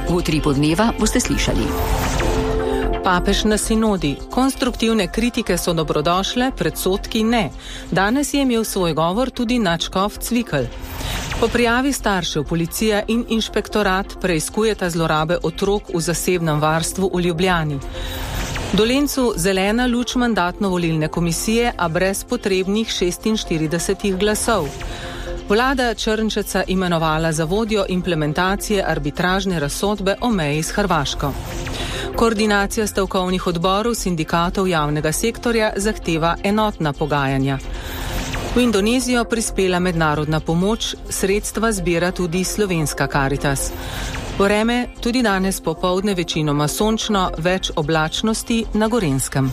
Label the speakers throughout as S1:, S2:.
S1: V Utripu dneva boste slišali.
S2: Papež na sinodi. Konstruktivne kritike so dobrodošle, predsodki ne. Danes je imel svoj govor tudi nadškof Cvikl. Po prijavi staršev policija in inšpektorat preiskujeta zlorabe otrok v zasebnem varstvu v Ljubljani. Dolencu zelena luč mandatno-volilne komisije, a brez potrebnih 46 glasov. Vlada Črnčeca imenovala za vodjo implementacije arbitražne razsodbe o meji s Hrvaško. Koordinacija stavkovnih odborov sindikatov javnega sektorja zahteva enotna pogajanja. V Indonezijo prispela mednarodna pomoč, sredstva zbira tudi slovenska Karitas. Vreme tudi danes popoldne večinoma sončno, več oblačnosti na Gorenjskem.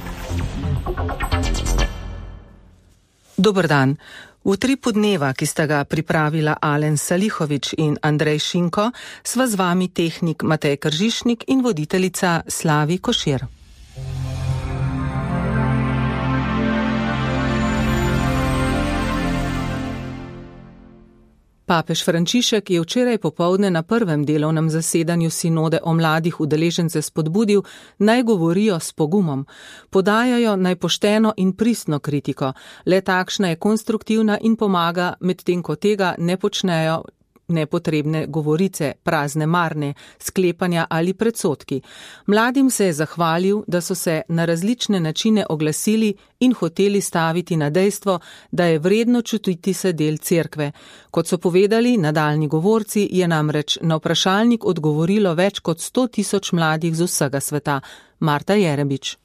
S2: Dober dan. V Utripu dneva, ki sta ga pripravila Alen Salihovič in Andrej Šinko, sva z vami tehnik Matej Kržišnik in voditeljica Slavi Košir. Papež Frančišek je včeraj popoldne na prvem delovnem zasedanju sinode o mladih udeležence spodbudil, naj govorijo s pogumom. Podajajo naj pošteno in pristno kritiko, le takšna je konstruktivna in pomaga, medtem ko tega ne počnejo nepotrebne govorice, prazne marne, sklepanja ali predsodki. Mladim se je zahvalil, da so se na različne načine oglasili in hoteli staviti na dejstvo, da je vredno čutiti se del cerkve. Kot so povedali nadaljni govorci, je namreč na vprašalnik odgovorilo več kot 100.000 mladih z vsega sveta. Marta Jerebič.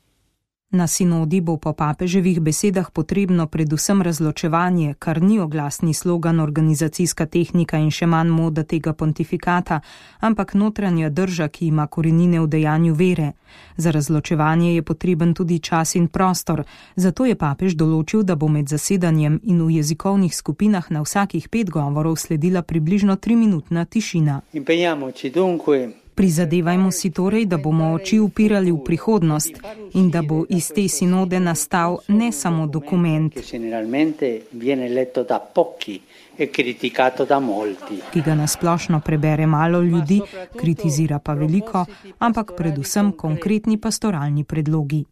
S3: Na sinodi bo po papeževih besedah potrebno predvsem razločevanje, kar ni oglasni slogan, organizacijska tehnika in še manj moda tega pontifikata, ampak notranja drža, ki ima korenine v dejanju vere. Za razločevanje je potreben tudi čas in prostor, zato je papež določil, da bo med zasedanjem in v jezikovnih skupinah na vsakih 5 govorov sledila približno 3-minutna tišina. Prizadevajmo si torej, da bomo oči upirali v prihodnost in da bo iz te sinode nastal ne samo dokument, ki ga nasplošno prebere malo ljudi, kritizira pa veliko, ampak predvsem konkretni pastoralni predlogi.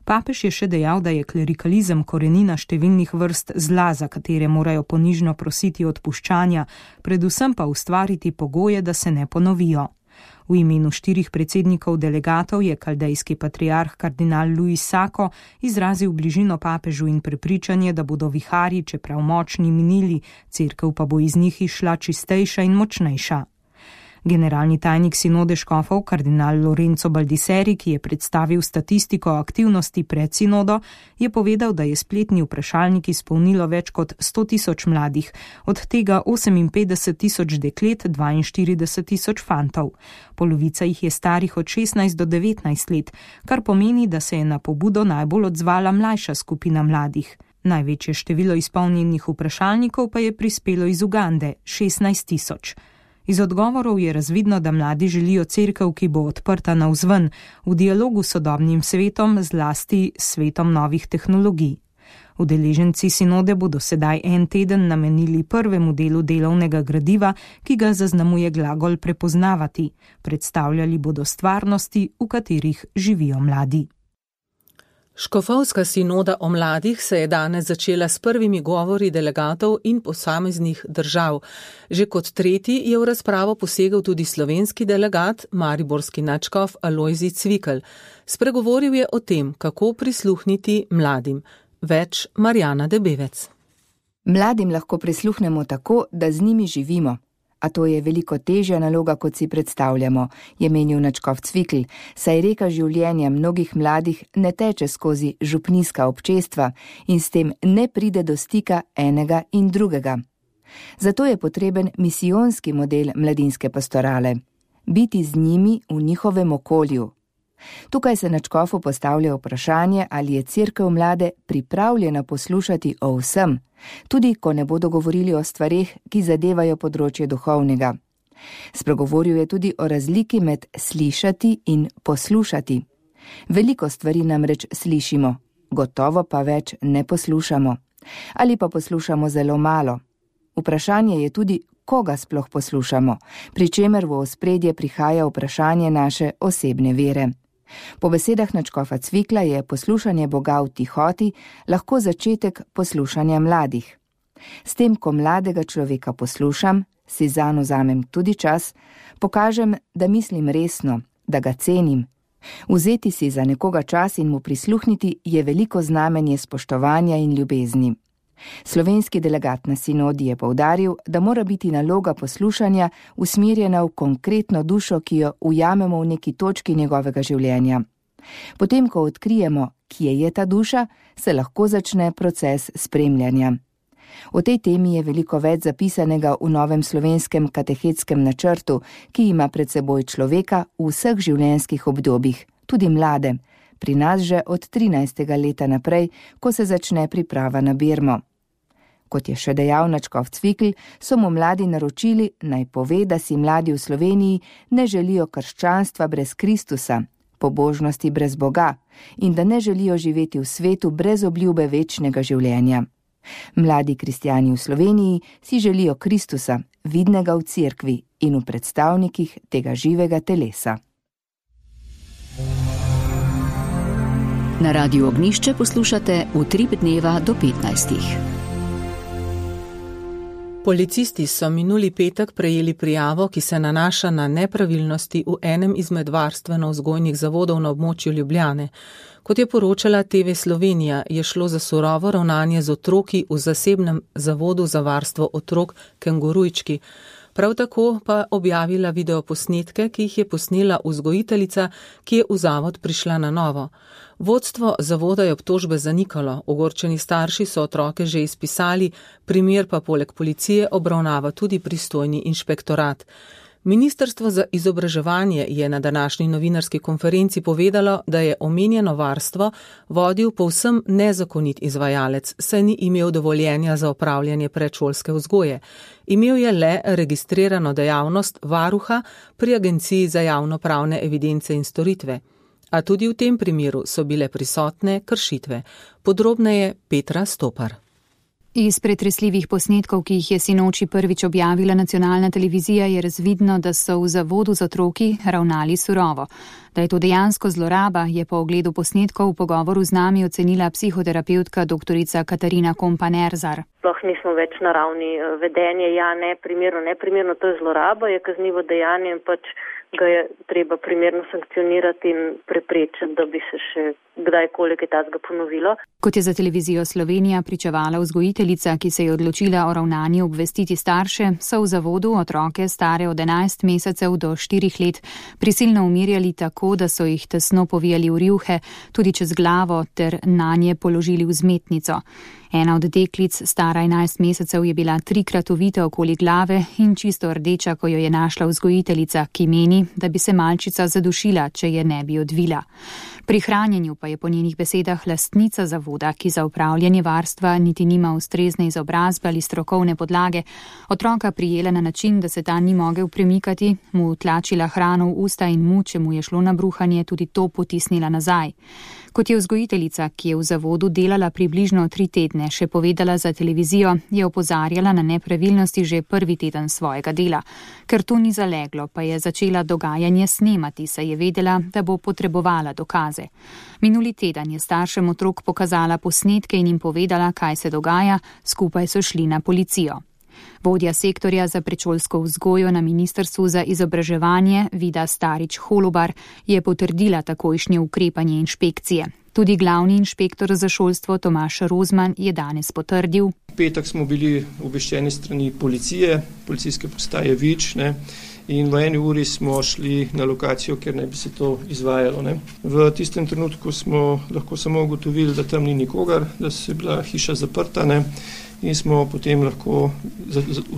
S3: Papež je še dejal, da je klerikalizem korenina številnih vrst zla, za katere morajo ponižno prositi odpuščanja, predvsem pa ustvariti pogoje, da se ne ponovijo. V imenu 4 predsednikov delegatov je kaldejski patriarh kardinal Luis Sako izrazil bližino papežu in prepričanje, da bodo viharji, čeprav močni, minili, cerkev pa bo iz njih išla čistejša in močnejša. Generalni tajnik sinode škofov, kardinal Lorenzo Baldisseri, ki je predstavil statistiko aktivnosti pred sinodo, je povedal, da je spletni vprašalnik izpolnilo več kot 100.000 mladih, od tega 58.000 deklet, 42.000 fantov. Polovica jih je starih od 16 do 19 let, kar pomeni, da se je na pobudo najbolj odzvala mlajša skupina mladih. Največje število izpolnjenih vprašalnikov pa je prispelo iz Ugande, 16.000. Iz odgovorov je razvidno, da mladi želijo cerkev, ki bo odprta navzven, v dialogu s sodobnim svetom, zlasti svetom novih tehnologij. Udeleženci sinode bodo sedaj en teden namenili prvemu delu delovnega gradiva, ki ga zaznamuje glagol prepoznavati. Predstavljali bodo stvarnosti, v katerih živijo mladi.
S2: Škofovska sinoda o mladih se je danes začela s prvimi govori delegatov in posameznih držav. Že kot tretji je v razpravo posegel tudi slovenski delegat, mariborski nadškof Alojzij Cvikl. Spregovoril je o tem, kako prisluhniti mladim. Več Marjana Debevec.
S4: Mladim lahko prisluhnemo tako, da z njimi živimo. A to je veliko težja naloga, kot si predstavljamo, je menil nadškof Cvikl, saj reka življenja mnogih mladih ne teče skozi župnijska občestva in s tem ne pride do stika enega in drugega. Zato je potreben misijonski model mladinske pastorale. Biti z njimi v njihovem okolju. Tukaj se nadškofu postavlja vprašanje, ali je cerkev mlade pripravljena poslušati o vsem, tudi ko ne bodo govorili o stvareh, ki zadevajo področje duhovnega. Spregovoril je tudi o razliki med slišati in poslušati. Veliko stvari namreč slišimo, gotovo pa več ne poslušamo. Ali pa poslušamo zelo malo. Vprašanje je tudi, koga sploh poslušamo, pri čemer v ospredje prihaja vprašanje naše osebne vere. Po besedah nadškofa Cvikla je poslušanje Boga v tihoti lahko začetek poslušanja mladih. S tem, ko mladega človeka poslušam, si zanj vzamem tudi čas, pokažem, da mislim resno, da ga cenim. Vzeti si za nekoga čas in mu prisluhniti je veliko znamenje spoštovanja in ljubezni. Slovenski delegat na sinodi je poudaril, da mora biti naloga poslušanja usmerjena v konkretno dušo, ki jo ujamemo v neki točki njegovega življenja. Potem, ko odkrijemo, kje je ta duša, se lahko začne proces spremljanja. O tej temi je veliko več zapisanega v novem slovenskem katehetskem načrtu, ki ima pred seboj človeka v vseh življenjskih obdobjih, tudi mlade, pri nas že od 13. leta naprej, ko se začne priprava na birmo. Kot je še dejal nadškof Cvikl, so mu mladi naročili, naj pove, da si mladi v Sloveniji ne želijo krščanstva brez Kristusa, pobožnosti brez Boga in da ne želijo živeti v svetu brez obljube večnega življenja. Mladi kristjani v Sloveniji si želijo Kristusa, vidnega v cerkvi in v predstavnikih tega živega telesa.
S1: Na Radiu Ognjišče poslušate Utrip dneva do 15.
S2: Policisti so minuli petek prejeli prijavo, ki se nanaša na nepravilnosti v enem izmed varstveno-vzgojnih zavodov na območju Ljubljane. Kot je poročala TV Slovenija, je šlo za surovo ravnanje z otroki v zasebnem zavodu za varstvo otrok Kengurujčki. Prav tako pa objavila videoposnetke, ki jih je posnela vzgojiteljica, ki je v zavod prišla na novo. Vodstvo zavoda je obtožbe zanikalo, ogorčeni starši so otroke že izpisali, primer pa poleg policije obravnava tudi pristojni inšpektorat. Ministrstvo za izobraževanje je na današnji novinarski konferenci povedalo, da je omenjeno varstvo vodil povsem nezakonit izvajalec, saj ni imel dovoljenja za opravljanje predšolske vzgoje. Imel je le registrirano dejavnost varuha pri Agenciji za javnopravne evidence in storitve. A tudi v tem primeru so bile prisotne kršitve. Podrobneje Petra Stopar.
S5: Iz pretresljivih posnetkov, ki jih je sinoči prvič objavila nacionalna televizija, je razvidno, da so v zavodu z otroki ravnali surovo. Da je to dejansko zloraba, je po ogledu posnetkov v pogovoru z nami ocenila psihoterapeutka doktorica Katarina Kompan-Erzar.
S6: Sploh nismo več na ravni vedenja, neprimerno, to je zloraba, je kaznivo dejanje in pač ga je treba primerno sankcionirati in preprečiti, da bi se še kdajkoli kaj takega ponovilo.
S5: Kot je za televizijo Slovenija pričevala vzgojiteljica, ki se je odločila o ravnanju obvestiti starše, so v zavodu otroke stare od 11 mesecev do 4 let prisilno umirjali tako, da so jih tesno povijali v rjuhe, tudi čez glavo ter nanje položili vzmetnico. Ena od deklic, stara 11 mesecev, je bila 3krat ovita okoli glave in čisto rdeča, ko jo je našla vzgojiteljica, ki meni, da bi se malčica zadušila, če je ne bi odvila. Pri hranjenju pa je po njenih besedah lastnica zavoda, ki za upravljanje varstva niti nima ustrezne izobrazbe ali strokovne podlage, otroka prijela na način, da se ta ni mogel premikati, mu tlačila hrano v usta in mu, če mu je šlo na bruhanje, tudi to potisnila nazaj. Kot je vzgojiteljica, ki je v zavodu delala približno 3 tedne, še povedala za televizijo, je opozarjala na nepravilnosti že prvi teden svojega dela. Ker to ni zaleglo, pa je začela dogajanje snemati, saj je vedela, da bo potrebovala dokaze. Minuli teden je staršem otrok pokazala posnetke in jim povedala, kaj se dogaja, skupaj so šli na policijo. Vodja sektorja za predšolsko vzgojo na Ministrstvu za izobraževanje Vida Starič-Holobar je potrdila takojšnje ukrepanje inšpekcije. Tudi glavni inšpektor za šolstvo Tomaž Rozman je danes potrdil.
S7: V petek smo bili obveščeni strani policije, policijske postaje Vič, in v 1 uri smo šli na lokacijo, kjer naj bi se to izvajalo. V tistem trenutku smo lahko samo ugotovili, da tam ni nikogar, da se je bila hiša zaprta, in smo potem lahko,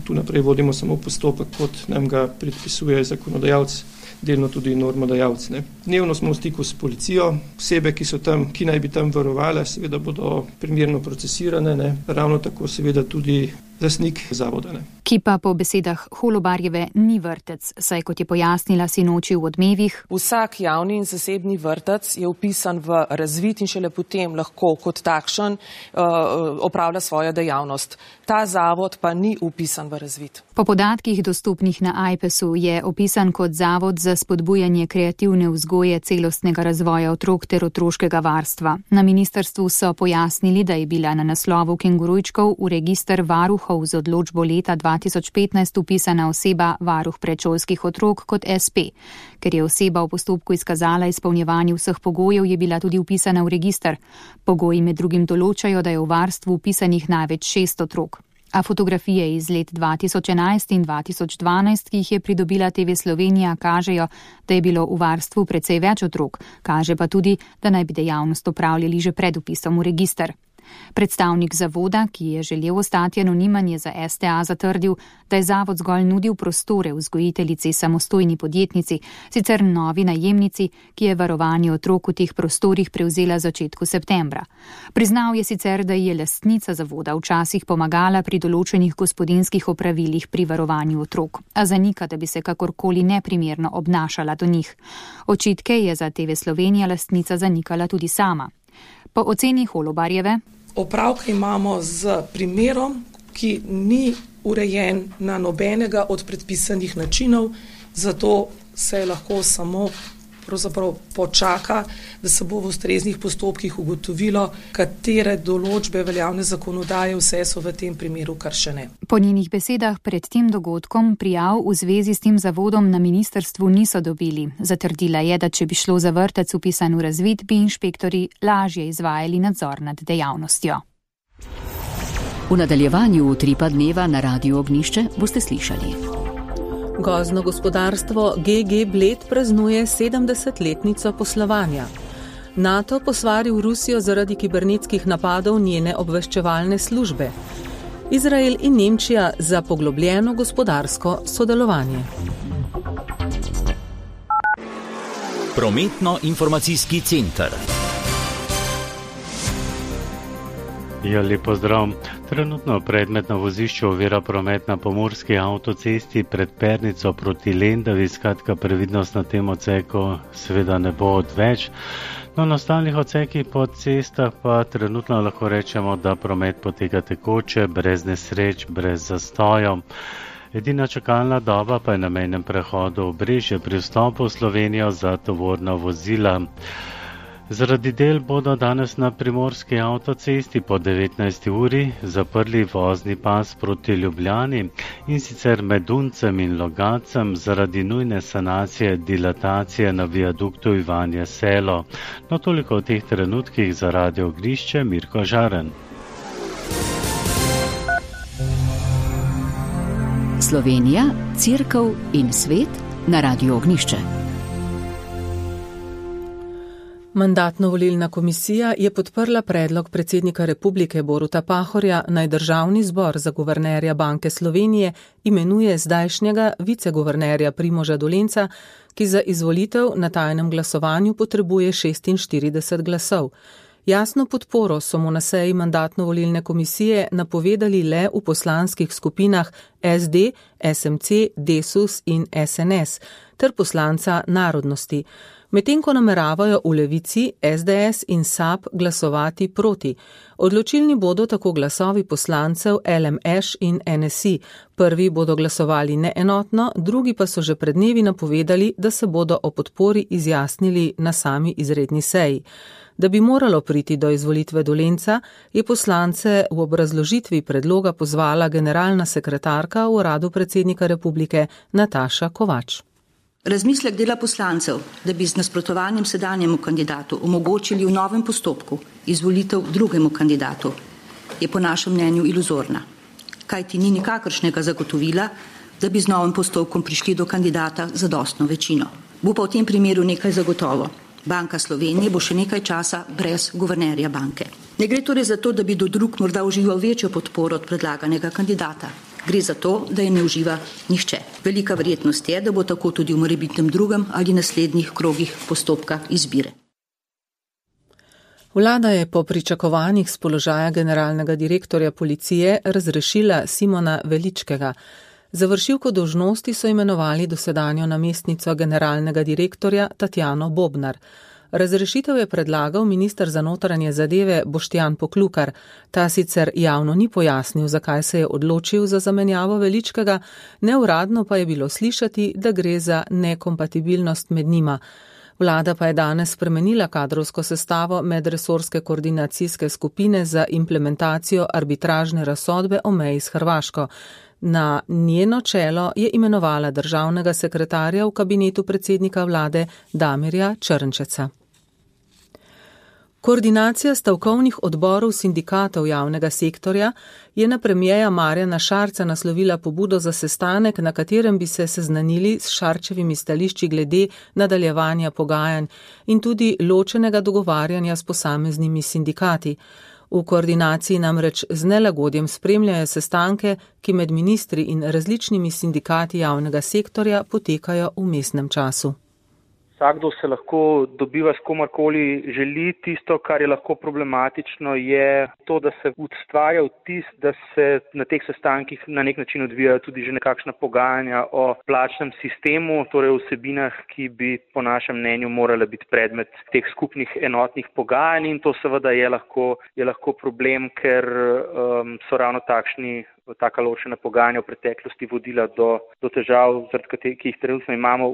S7: tu naprej vodimo samo postopek, kot nam ga predpisuje zakonodajalec. delno tudi normodajalci. Dnevno smo v stiku s policijo, osebe, ki so tam, ki naj bi tam varovale, seveda bodo primerno procesirane, ravno tako seveda tudi lastnik zavoda.
S5: Ki pa po besedah Holobarjeve ni vrtec, saj kot je pojasnila sinoči v Odmevih.
S8: Vsak javni in zasebni vrtec je vpisan v razvid in šele potem lahko kot takšen opravlja svojo dejavnost. Ta zavod pa ni vpisan v razvid.
S5: Po podatkih dostopnih na AJPES-u je opisan kot zavod za spodbujanje kreativne vzgoje, celostnega razvoja otrok ter otroškega varstva. Na ministrstvu so pojasnili, da je bila na naslovu kengurujčkov v register varuhov z odločbo leta 2015 upisana oseba varuh predšolskih otrok kot SP. Ker je oseba v postopku izkazala izpolnjevanje vseh pogojev, je bila tudi upisana v register. Pogoji med drugim določajo, da je v varstvu upisanih največ 6 otrok. A fotografije iz let 2011 in 2012, ki jih je pridobila TV Slovenija, kažejo, da je bilo v varstvu precej več otrok. Kaže pa tudi, da naj bi dejavnost opravljali že pred vpisom v register. Predstavnik zavoda, ki je želel ostati anonimen, je za STA zatrdil, da je zavod zgolj nudil prostore vzgojiteljici samostojni podjetnici, sicer novi najemnici, ki je varovanje otrok v teh prostorih prevzela začetku septembra. Priznal je sicer, da je lastnica zavoda včasih pomagala pri določenih gospodinjskih opravilih pri varovanju otrok, a zanika, da bi se kakorkoli neprimerno obnašala do njih. Očitke je za TV Slovenija lastnica zanikala tudi sama. Po oceni Holobarjeve.
S8: Opravka imamo z primerom, ki ni urejen na nobenega od predpisanih načinov, zato se lahko samo počaka, da se bo v ustreznih postopkih ugotovilo, katere določbe veljavne zakonodaje vse so v tem primeru kršene.
S5: Po njenih besedah pred tem dogodkom prijav v zvezi s tem zavodom na ministrstvu niso dobili. Zatrdila je, da če bi šlo za vrtec vpisan v razvid, bi inšpektorji lažje izvajali nadzor nad dejavnostjo.
S1: V nadaljevanju Utripa dneva na Radiu Ognjišče boste slišali.
S2: Gozdno gospodarstvo GG Bled praznuje 70-letnico poslovanja. NATO posvaril Rusijo zaradi kibernetskih napadov njene obveščevalne službe. Izrael in Nemčija za poglobljeno gospodarsko sodelovanje.
S9: Prometno-informacijski center.
S10: Lep pozdrav. Trenutno predmet na vozišču ovira promet na pomurski avtocesti pred Pernico proti Lendavi, skratka previdnost na tem odseku seveda ne bo odveč. No, na ostalih odsekih po cestah pa trenutno lahko rečemo, da promet poteka tekoče, brez nesreč, brez zastojev. Edina čakalna doba pa je na mejnem prehodu Obrežje pri vstopu v Slovenijo za tovorna vozila. Zaradi del bodo danes na primorski avtocesti po 19. uri zaprli vozni pas proti Ljubljani in sicer med Duncem in Logacem zaradi nujne sanacije dilatacije na viaduktu Ivanje Selo. No, toliko v teh trenutkih za Radio Ognjišče, Mirko Žaren.
S1: Slovenija, Cerkev in svet na Radiu Ognjišče.
S2: Mandatno-volilna komisija je podprla predlog predsednika republike Boruta Pahorja, naj Državni zbor za guvernerja Banke Slovenije imenuje zdajšnjega viceguvernerja Primoža Dolenca, ki za izvolitev na tajnem glasovanju potrebuje 46 glasov. Jasno podporo so mu na seji mandatno-volilne komisije napovedali le v poslanskih skupinah SD, SMC, Desus in SNS ter poslanca Narodnosti. Medtem ko nameravajo v Levici, SDS in SAB glasovati proti. Odločilni bodo tako glasovi poslancev LMŠ in NSI. Prvi bodo glasovali neenotno, drugi pa so že pred dnevi napovedali, da se bodo o podpori izjasnili na sami izredni seji. Da bi moralo priti do izvolitve Dolenca, je poslance v obrazložitvi predloga pozvala generalna sekretarka v uradu predsednika republike Nataša Kovač.
S11: Razmislek dela poslancev, da bi z nasprotovanjem sedanjemu kandidatu omogočili v novem postopku izvolitev drugemu kandidatu, je po našem mnenju iluzorna, kajti ni nikakršnega zagotovila, da bi z novim postopkom prišli do kandidata z zadostno večino. Bo pa v tem primeru nekaj zagotovo. Banka Slovenije bo še nekaj časa brez guvernerja banke. Ne gre torej za to, da bi do drug morda užival večjo podporo od predlaganega kandidata. Gre za to, da je ne uživa nihče. Velika verjetnost je, da bo tako tudi v morebitnem drugem ali naslednjih krogih postopka izbire.
S2: Vlada je po pričakovanjih s položaja generalnega direktorja policije razrešila Simona Veličkega. Za vršilko dolžnosti so imenovali dosedanjo namestnico generalnega direktorja Tatjano Bobnar. Razrešitev je predlagal minister za notranje zadeve Boštjan Poklukar. Ta sicer javno ni pojasnil, zakaj se je odločil za zamenjavo Veličkega, neuradno pa je bilo slišati, da gre za nekompatibilnost med njima. Vlada pa je danes spremenila kadrovsko sestavo medresorske koordinacijske skupine za implementacijo arbitražne razsodbe o meji s Hrvaško. Na njeno čelo je imenovala državnega sekretarja v kabinetu predsednika vlade Damirja Črnčeca. Koordinacija stavkovnih odborov sindikatov javnega sektorja je na premierja Marjana Šarca naslovila pobudo za sestanek, na katerem bi se seznanili s Šarčevimi stališči glede nadaljevanja pogajanj in tudi ločenega dogovarjanja s posameznimi sindikati. V koordinaciji namreč z nelagodjem spremljajo sestanke, ki med ministri in različnimi sindikati javnega sektorja potekajo v vmesnem času.
S12: Vsakdo se lahko dobiva s komarkoli želi. Tisto, kar je lahko problematično, je to, da se ustvarja vtis, da se na teh sestankih na nek način odvijajo tudi že nekakšna pogajanja o plačnem sistemu, torej o vsebinah, ki bi po našem mnenju morala biti predmet teh skupnih enotnih pogajanj, in to seveda je lahko problem, ker so ravno taka ločena pogajanja v preteklosti vodila do težav, ki jih trenutno imamo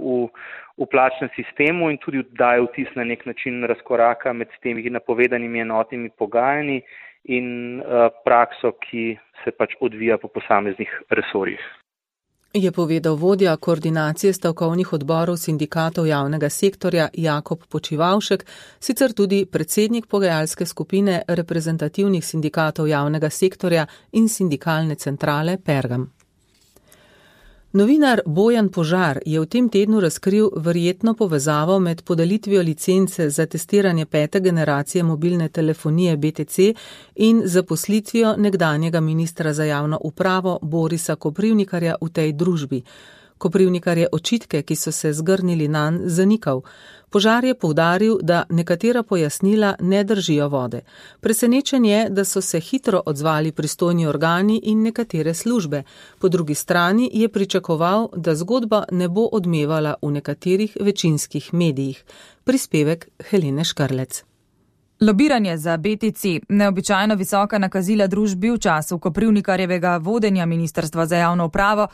S12: v plačnem sistemu, in tudi daje vtis na nek način razkoraka med temi napovedanimi enotnimi pogajanji in prakso, ki se pač odvija po posameznih resorjih.
S2: Je povedal vodja koordinacije stavkovnih odborov sindikatov javnega sektorja Jakob Počivavšek, sicer tudi predsednik pogajalske skupine reprezentativnih sindikatov javnega sektorja in sindikalne centrale Pergam. Novinar Bojan Požar je v tem tednu razkril verjetno povezavo med podelitvijo licence za testiranje 5. generacije mobilne telefonije BTC in zaposlitvijo nekdanjega ministra za javno upravo Borisa Koprivnikarja v tej družbi. Koprivnikar je očitke, ki so se zgrnili nanj, zanikal. Požar je poudaril, da nekatera pojasnila ne držijo vode. Presenečen je, da so se hitro odzvali pristojni organi in nekatere službe. Po drugi strani je pričakoval, da zgodba ne bo odmevala v nekaterih večinskih medijih. Prispevek Helene Škrlec.
S13: Lobiranje za BTC, neobičajno visoka nakazila družbi v času Koprivnikarjevega vodenja Ministrstva za javno upravo,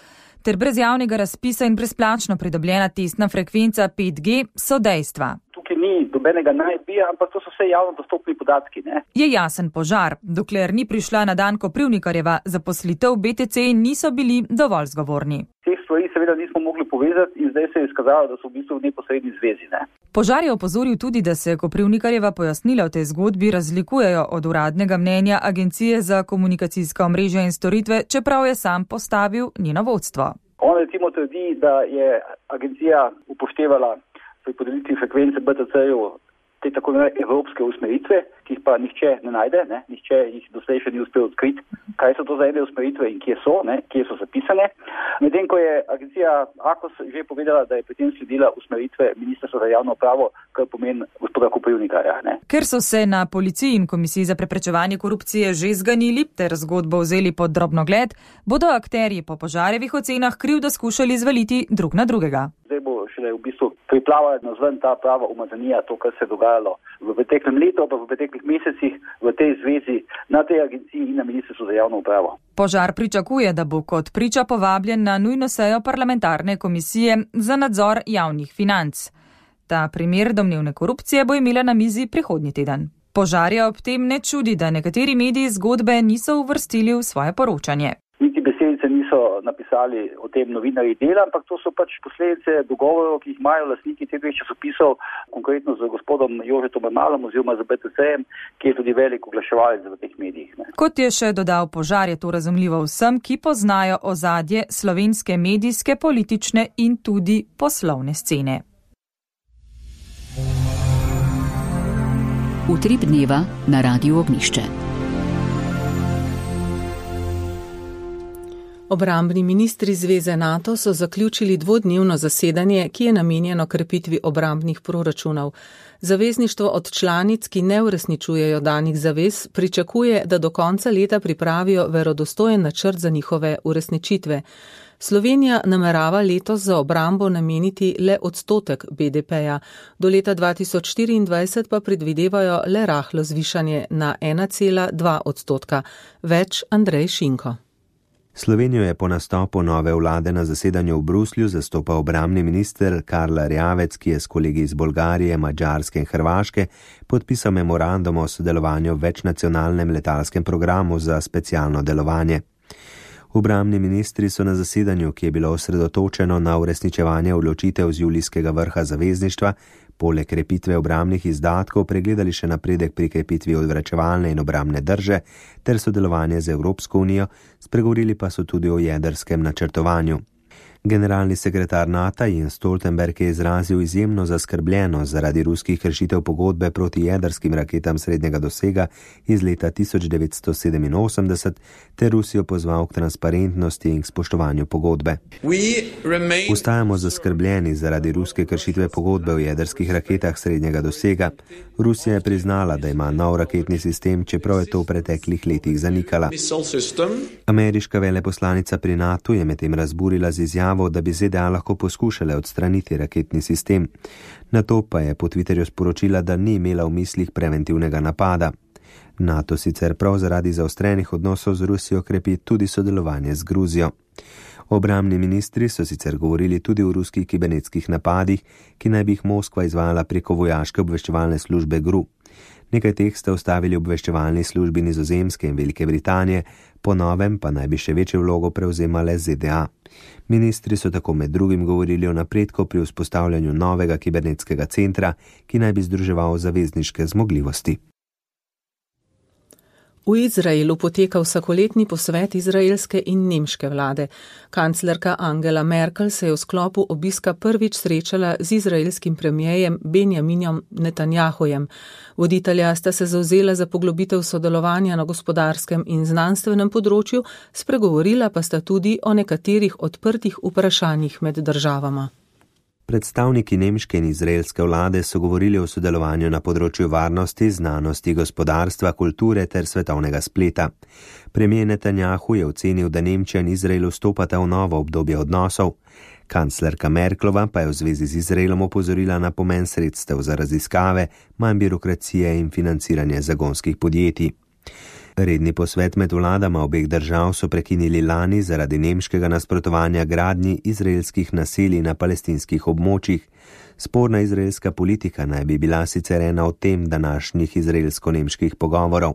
S13: ter brez javnega razpisa in brezplačno pridobljena testna frekvenca 5G so dejstva.
S14: Tukaj ni dobenega najbija, ampak to so vse javno dostopni podatki, ne?
S13: Je jasen Požar. Dokler ni prišla na dan Koprivnikarjeva zaposlitev, BTC niso bili dovolj zgovorni.
S14: Teh stvari seveda nismo mogli povezati in zdaj se je izkazalo, da so v bistvu v neposredni zvezi, ne?
S13: Požar je opozoril tudi, da se Koprivnikarjeva pojasnila v tej zgodbi razlikujejo od uradnega mnenja Agencije za komunikacijska omrežja in storitve, čeprav je sam postavil njeno vodstvo.
S14: On recimo trdi, da je agencija upoštevala pri podelitvi frekvence BTC-ju te tako evropske usmeritve, ki jih pa nihče ne najde, ne? Nihče jih doslej še ni uspel odkriti, kaj so to za ene usmeritve in kje so zapisane. Medtem ko je agencija AKOS že povedala, da je pri tem sledila usmeritve Ministrstva za javno upravo, kar pomeni gospoda Koprivnikarja.
S13: Ker so se na policiji in Komisiji za preprečevanje korupcije že zganili ter zgodbo vzeli pod drobnogled, bodo akterji po Požarjevih ocenah krivdo skušali zvaliti drug na drugega.
S14: Zdaj bo šele v bistvu priplava nazven ta prava umazanija, to, kar se je dogajalo v preteklem letu, pa v preteklih mesecih v tej zvezi na tej agenciji in na Ministrstvu za javno upravo.
S13: Požar pričakuje, da bo kot priča povabljen na nujno sejo parlamentarne komisije za nadzor javnih financ. Ta primer domnevne korupcije bo imela na mizi prihodnji teden. Požarja ob tem ne čudi, da nekateri mediji zgodbe niso uvrstili v svoje poročanje.
S14: Niti besedice niso napisali o tem novinarji Dela, ampak to so pač posledice dogovorov, ki jih imajo lastniki teh dveh časopisov, konkretno z gospodom Jožetom Malom oziroma z BTC-jem, ki je tudi velik oglaševalec v teh medijih.
S13: Kot je še dodal Požar, je to razumljivo vsem, ki poznajo ozadje slovenske medijske, politične in tudi poslovne scene.
S1: Utrip dneva na Radiu Ognjišče.
S2: Obrambni ministri Zveze NATO so zaključili dvodnevno zasedanje, ki je namenjeno krepitvi obrambnih proračunov. Zavezništvo od članic, ki ne uresničujejo danih zavez, pričakuje, da do konca leta pripravijo verodostojen načrt za njihove uresničitve. Slovenija namerava letos za obrambo nameniti le 1% BDP-ja, do leta 2024 pa predvidevajo le rahlo zvišanje na 1,2%. Več Andrej Šinko.
S15: Slovenijo je po nastopu nove vlade na zasedanju v Bruslju zastopal obrambni minister Karl Erjavec, ki je s kolegi iz Bolgarije, Madžarske in Hrvaške podpisal memorandum o sodelovanju v večnacionalnem letalskem programu za specialno delovanje. Obrambni ministri so na zasedanju, ki je bilo osredotočeno na uresničevanje odločitev z julijskega vrha zavezništva, poleg krepitve obrambnih izdatkov pregledali še napredek pri krepitvi odvračevalne in obrambne drže ter sodelovanje z Evropsko unijo, spregovorili pa so tudi o jedrskem načrtovanju. Generalni sekretar NATO Jens Stoltenberg je izrazil izjemno zaskrbljenost zaradi ruskih kršitev pogodbe proti jedrskim raketam srednjega dosega iz leta 1987 ter Rusijo pozval k transparentnosti in k spoštovanju pogodbe. Ostajamo zaskrbljeni zaradi ruske kršitve pogodbe o jedrskih raketah srednjega dosega. Rusija je priznala, da ima nov raketni sistem, čeprav je to v preteklih letih zanikala. Ameriška veleposlanica pri NATO je medtem razburila z izjavo, da bi ZDA lahko poskušale odstraniti raketni sistem. Nato pa je po Twitterju sporočila, da ni imela v mislih preventivnega napada. NATO sicer prav zaradi zaostrenih odnosov z Rusijo krepi tudi sodelovanje z Gruzijo. Obrambni ministri so sicer govorili tudi o ruskih kibernetskih napadih, ki naj bi jih Moskva izvajala preko vojaške obveščevalne službe GRU. Nekaj teh sta ustavili obveščevalni službi Nizozemske in Velike Britanije, po novem pa naj bi še večjo vlogo prevzemale ZDA. Ministri so tako med drugim govorili o napredku pri vzpostavljanju novega kibernetskega centra, ki naj bi združeval zavezniške zmogljivosti.
S2: V Izraelu poteka vsakoletni posvet izraelske in nemške vlade. Kanclerka Angela Merkel se je v sklopu obiska prvič srečala z izraelskim premijejem Benjaminjem Netanjahujem. Voditelja sta se zavzela za poglobitev sodelovanja na gospodarskem in znanstvenem področju, spregovorila pa sta tudi o nekaterih odprtih vprašanjih med državama.
S15: Predstavniki nemške in izraelske vlade so govorili o sodelovanju na področju varnosti, znanosti, gospodarstva, kulture ter svetovnega spleta. Premijer Netanjahu je ocenil, da Nemčija in Izrael vstopata v novo obdobje odnosov. Kanclerka Merklova pa je v zvezi z Izraelom opozorila na pomen sredstev za raziskave, manj birokracije in financiranje zagonskih podjetij. Redni posvet med vladama obeh držav so prekinili lani zaradi nemškega nasprotovanja gradnji izraelskih naselij na palestinskih območjih. Sporna izraelska politika naj bi bila sicer ena od tem današnjih izraelsko-nemških pogovorov.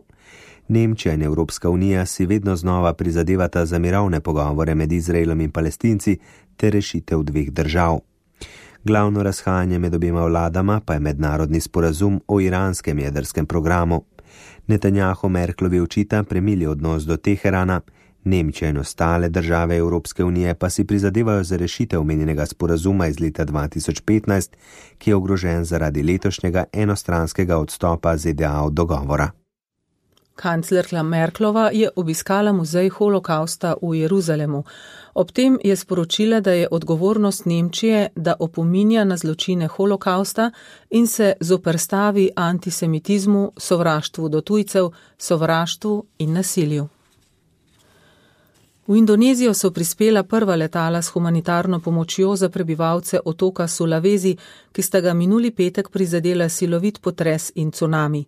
S15: Nemčija in Evropska unija si vedno znova prizadevata za mirovne pogovore med Izraelom in Palestinci ter rešitev dveh držav. Glavno razhajanje med obema vladama pa je mednarodni sporazum o iranskem jedrskem programu. Netanjahu Merklovi očita premili odnos do Teherana, Nemčija in ostale države Evropske unije pa si prizadevajo za rešitev omenjenega sporazuma iz leta 2015, ki je ogrožen zaradi letošnjega enostranskega odstopa ZDA od dogovora.
S2: Kanclerka Merklova je obiskala muzej holokausta v Jeruzalemu. Ob tem je sporočila, da je odgovornost Nemčije, da opominja na zločine holokausta in se zoperstavi antisemitizmu, sovraštvu do tujcev, sovraštvu in nasilju. V Indonezijo so prispela prva letala s humanitarno pomočjo za prebivalce otoka Sulawesi, ki sta ga minuli petek prizadela silovit potres in cunami.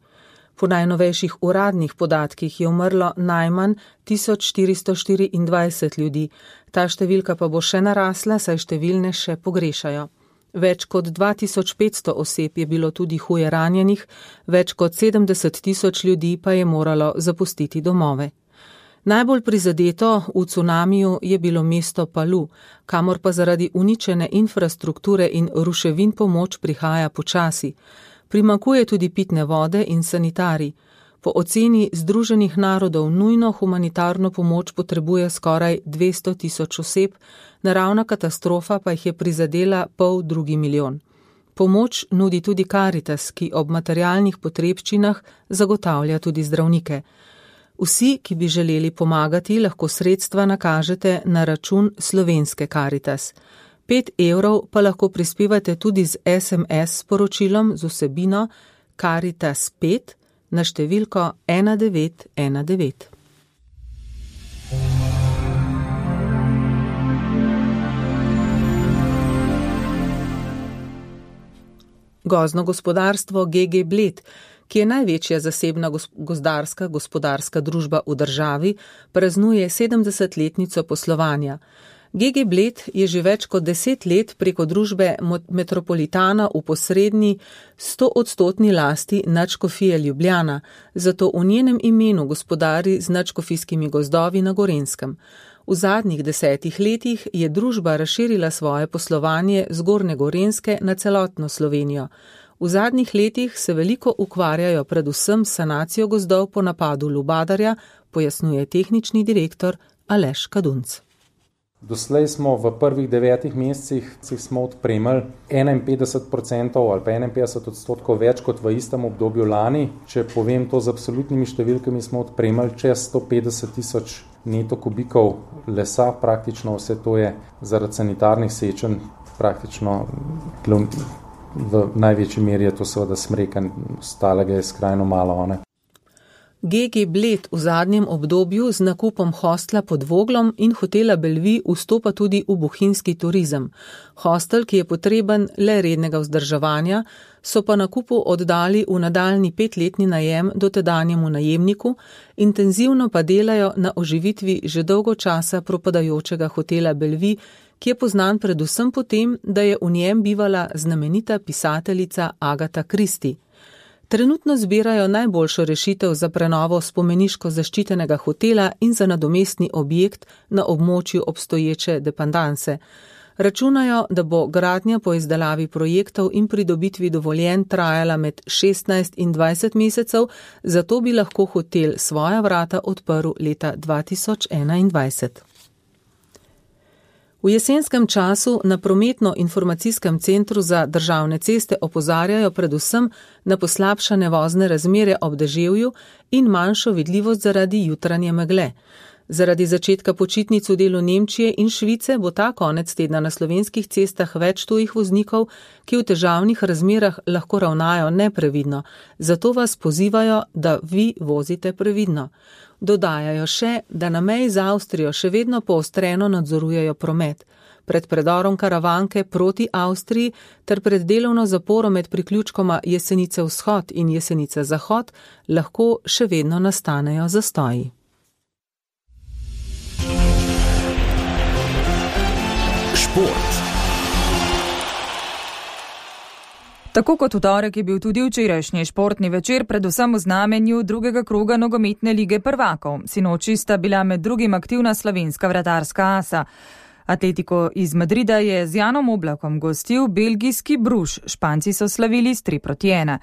S2: Po najnovejših uradnih podatkih je umrlo najmanj 1424 ljudi, ta številka pa bo še narasla, saj številne še pogrešajo. Več kot 2500 oseb je bilo tudi huje ranjenih, več kot 70.000 ljudi pa je moralo zapustiti domove. Najbolj prizadeto v cunamiju je bilo mesto Palu, kamor pa zaradi uničene infrastrukture in ruševin pomoč prihaja počasi. Primanjkuje tudi pitne vode in sanitarij. Po oceni Združenih narodov nujno humanitarno pomoč potrebuje skoraj 200.000 oseb, naravna katastrofa pa jih je prizadela 500 milijon. Pomoč nudi tudi Karitas, ki ob materialnih potrebščinah zagotavlja tudi zdravnike. Vsi, ki bi želeli pomagati, lahko sredstva nakažete na račun Slovenske Karitas. 5 evrov pa lahko prispevate tudi z SMS sporočilom z vsebino Karitas 5 na številko 1919. Gozdno gospodarstvo GG Bled, ki je največja zasebna gozdarska gospodarska družba v državi, praznuje 70-letnico poslovanja. GG Bled je že več kot 10 let preko družbe Metropolitana v posredni 100% lasti Nadškofije Ljubljana, zato v njenem imenu gospodari z nadškofijskimi gozdovi na Gorenjskem. V zadnjih 10 letih je družba razširila svoje poslovanje z Gornje Gorenjske na celotno Slovenijo. V zadnjih letih se veliko ukvarjajo predvsem s sanacijo gozdov po napadu lubadarja, pojasnjuje tehnični direktor Aleš Kadunc.
S16: Doslej smo v prvih 9 mesecih smo odpremili 51% ali pa 51% več kot v istem obdobju lani. Če povem to z absolutnimi številkami, smo odpremili čez 150 tisoč neto kubikov lesa, praktično vse to je zaradi sanitarnih sečenj, praktično v največji meri je to seveda smrekan, ostalega je skrajno malo.
S2: GG Bled v zadnjem obdobju z nakupom hostla pod Voglom in hotela Bellevue vstopa tudi v bohinjski turizem. Hostel, ki je potreben le rednega vzdrževanja, so pa nakupu oddali v nadaljni 5-letni najem dotedanjemu najemniku, intenzivno pa delajo na oživitvi že dolgo časa propadajočega hotela Bellevue, ki je poznan predvsem po tem, da je v njem bivala znamenita pisateljica Agatha Christie. Trenutno zbirajo najboljšo rešitev za prenovo spomeniško zaščitenega hotela in za nadomestni objekt na območju obstoječe dependanse. Računajo, da bo gradnja po izdelavi projektov in pridobitvi dovoljenj trajala med 16 in 20 mesecev, zato bi lahko hotel svoja vrata odprl leta 2021. V jesenskem času na prometno-informacijskem centru za državne ceste opozarjajo predvsem na poslabšane vozne razmere ob deževju in manjšo vidljivost zaradi jutranje megle. Zaradi začetka počitnic v delu Nemčije in Švice bo ta konec tedna na slovenskih cestah več tujih voznikov, ki v težavnih razmerah lahko ravnajo neprevidno, zato vas pozivajo, da vi vozite previdno. Dodajajo še, da na meji z Avstrijo še vedno poostreno nadzorujejo promet. Pred predorom Karavanke proti Avstriji ter pred delovno zaporo med priključkoma Jesenice vzhod in Jesenice zahod lahko še vedno nastanejo zastoji.
S9: Šport.
S13: Tako kot v torek je bil tudi včerajšnji športni večer predvsem v znamenju drugega kroga nogometne lige prvakov. Sinoči sta bila med drugim aktivna slovenska vratarska asa. Atletico iz Madrida je z Janom Oblakom gostil belgijski Bruž, Španci so slavili s 3-1.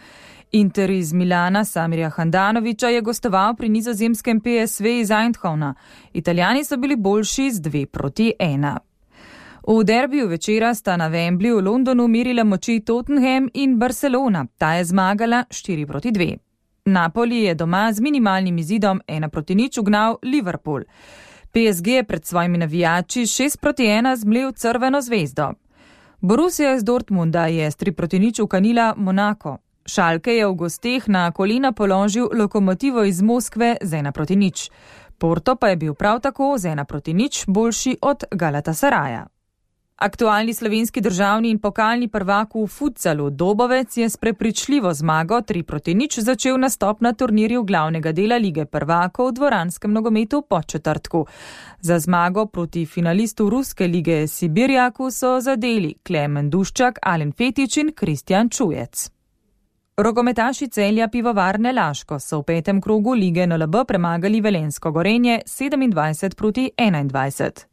S13: Inter iz Milana Samirja Handanovića je gostoval pri nizozemskem PSV iz Eindhovna. Italijani so bili boljši z 2-1. V derbiju večera sta na Wembleyu v Londonu merila moči Tottenham in Barcelona. Ta je zmagala 4-2. Napoli je doma z minimalnim izidom 1-0 ugnal Liverpool. PSG je pred svojimi navijači 6-1 zmlel Crveno zvezdo. Borussia iz Dortmunda je s 3-0 ukanila Monako. Schalke je v gosteh na kolena položil Lokomotivo iz Moskve z 1-0. Porto pa je bil prav tako z 1-0 boljši od Galatasaraja. Aktualni slovenski državni in pokalni prvak v futsalu Dobovec je s prepričljivo zmago 3-0 začel nastop na turnirju glavnega dela lige prvakov v dvoranskem nogometu po četrtku. Za zmago proti finalistu ruske lige Sibirjaku so zadeli Klemen Duščak, Alen Fetič in Kristjan Čujec. Rokometaši Celja Pivovarne Laško so v 5. krogu lige NLB premagali Velenjsko Gorenje 27-21.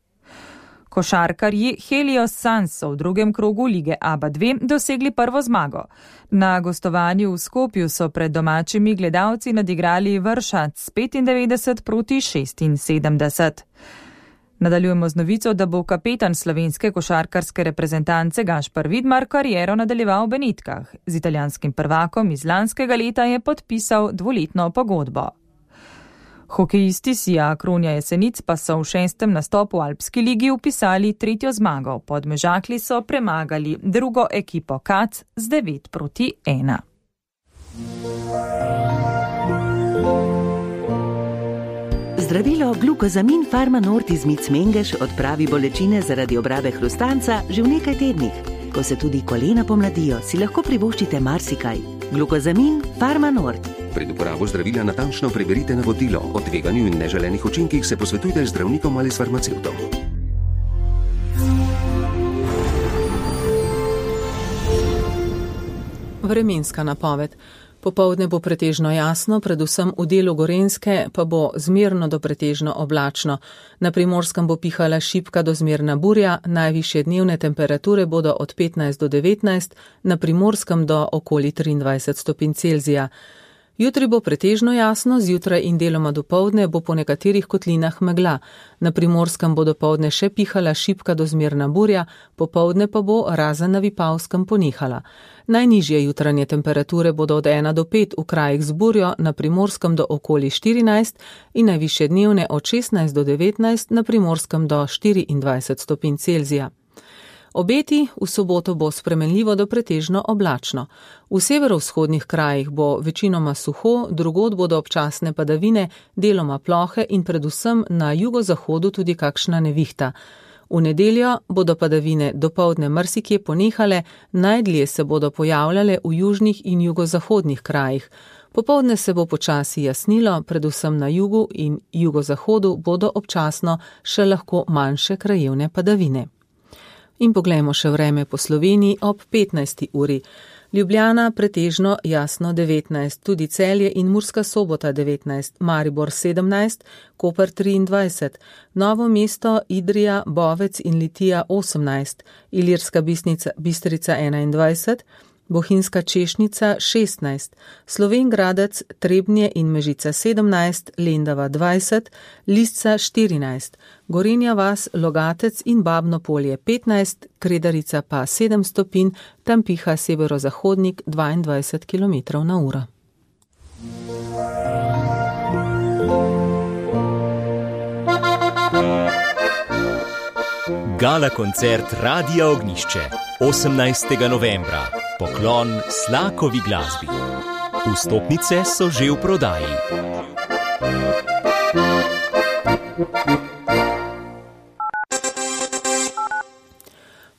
S13: Košarkarji Helios Suns so v 2. krogu lige ABA 2 dosegli prvo zmago. Na gostovanju v Skopju so pred domačimi gledalci nadigrali Vršac 95-76. Nadaljujemo z novico, da bo kapetan slovenske košarkarske reprezentance Gašpar Vidmar kariero nadaljeval v Benetkah. Z italijanskim prvakom iz lanskega leta je podpisal 2-letno pogodbo. Hokejisti Sija Kronja Jesenic pa so v 6. nastopu v Alpski ligi vpisali 3. zmago. Podmežakli so premagali drugo ekipo Kac z 9-1.
S17: Zdravilo Glukozamin Farmanort iz Mic Mengeš odpravi bolečine zaradi obrabe hrustanca že v nekaj tednih. Ko se tudi kolena pomladijo, si lahko privoščite marsikaj. Glukozamin Farmanort.
S18: Pred uporabo zdravila natančno preberite navodilo. O tveganju in neželenih učinkih se posvetujte z zdravnikom ali s farmacevtom.
S2: Vremenska napoved. Popoldne bo pretežno jasno, predvsem v delu Gorenjske pa bo zmerno do pretežno oblačno. Na Primorskem bo pihala šibka do zmerna burja, najvišje dnevne temperature bodo od 15 do 19, na Primorskem do okoli 23 stopinj Celzija. Jutri bo pretežno jasno, zjutraj in deloma dopoldne bo po nekaterih kotlinah megla. Na Primorskem bo dopoldne še pihala šibka do zmerna burja, popoldne pa bo razen na Vipavskem ponehala. Najnižje jutranje temperature bodo od 1 do 5 v krajih z burjo, na Primorskem do okoli 14 in najvišje dnevne od 16 do 19, na Primorskem do 24 stopinj Celzija. Obeti v soboto bo spremenljivo do pretežno oblačno. V severovzhodnih krajih bo večinoma suho, drugod bodo občasne padavine, deloma plohe in predvsem na jugozahodu tudi kakšna nevihta. V nedeljo bodo padavine dopoldne marsikje ponehale, najdlje se bodo pojavljale v južnih in jugozahodnih krajih. Popoldne se bo počasi jasnilo, predvsem na jugu in jugozahodu bodo občasno še lahko manjše krajevne padavine. In poglejmo še vreme po Sloveniji ob 15. uri. Ljubljana pretežno jasno 19, tudi Celje in Murska Sobota 19, Maribor 17, Koper 23, Novo mesto, Idrija, Bovec in Litija 18, Ilirska Bistrica 21, Bohinjska Češnica 16, Slovenj Gradec, Trebnje in Mežica 17, Lendava 20, Lisca 14, Gorenja vas, Logatec in Babno Polje 15, Kredarica pa 7 stopinj, tam piha severozahodnik 22 km/h.
S9: Gala koncert Radia Ognjišče 18. novembra. Poklon Slakovi glasbi. Vstopnice so že v prodaji.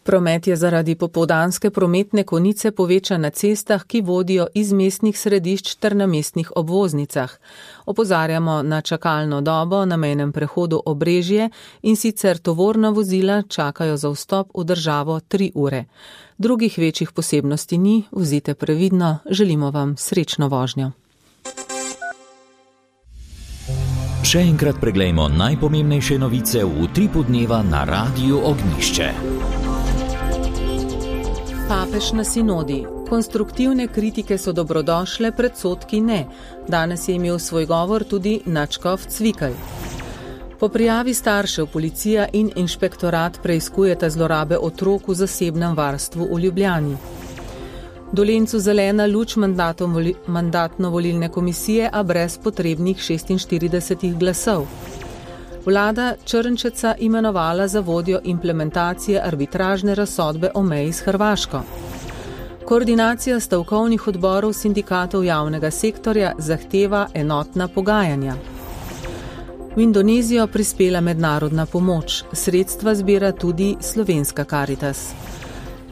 S2: Promet je zaradi popoldanske prometne konice povečan na cestah, ki vodijo iz mestnih središč ter na mestnih obvoznicah. Opozarjamo na čakalno dobo na mejnem prehodu Obrežje in sicer tovorna vozila čakajo za vstop v državo 3 ure. Drugih večjih posebnosti ni, vozite previdno, želimo vam srečno vožnjo.
S9: Še enkrat preglejmo najpomembnejše novice v utripu dneva na Radiu Ognjišče.
S2: Papež na sinodi. Konstruktivne kritike so dobrodošle, predsodki ne. Danes je imel svoj govor tudi nadškof Cvikl. Po prijavi staršev policija in inšpektorat preiskujeta zlorabe otrok v zasebnem varstvu v Ljubljani. Dolencu zelena luč mandatno-volilne komisije, a brez potrebnih 46 glasov. Vlada Črnčeca imenovala za vodjo implementacije arbitražne razsodbe o meji s Hrvaško. Koordinacija stavkovnih odborov sindikatov javnega sektorja zahteva enotna pogajanja. V Indonezijo prispela mednarodna pomoč, sredstva zbira tudi slovenska Karitas.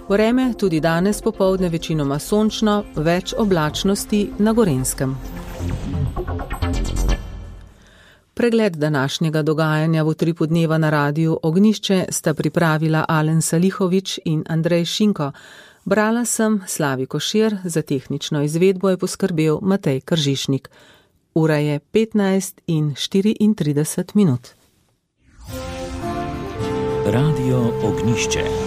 S2: Vreme tudi danes popoldne večinoma sončno, več oblačnosti na Gorenjskem. Pregled današnjega dogajanja v utripu dneva na Radiu Ognjišče sta pripravila Alen Salihovič in Andrej Šinko. Brala sem Slavi Košir, za tehnično izvedbo je poskrbel Matej Kržišnik. Ura je 15:34.
S9: Radio Ognjišče.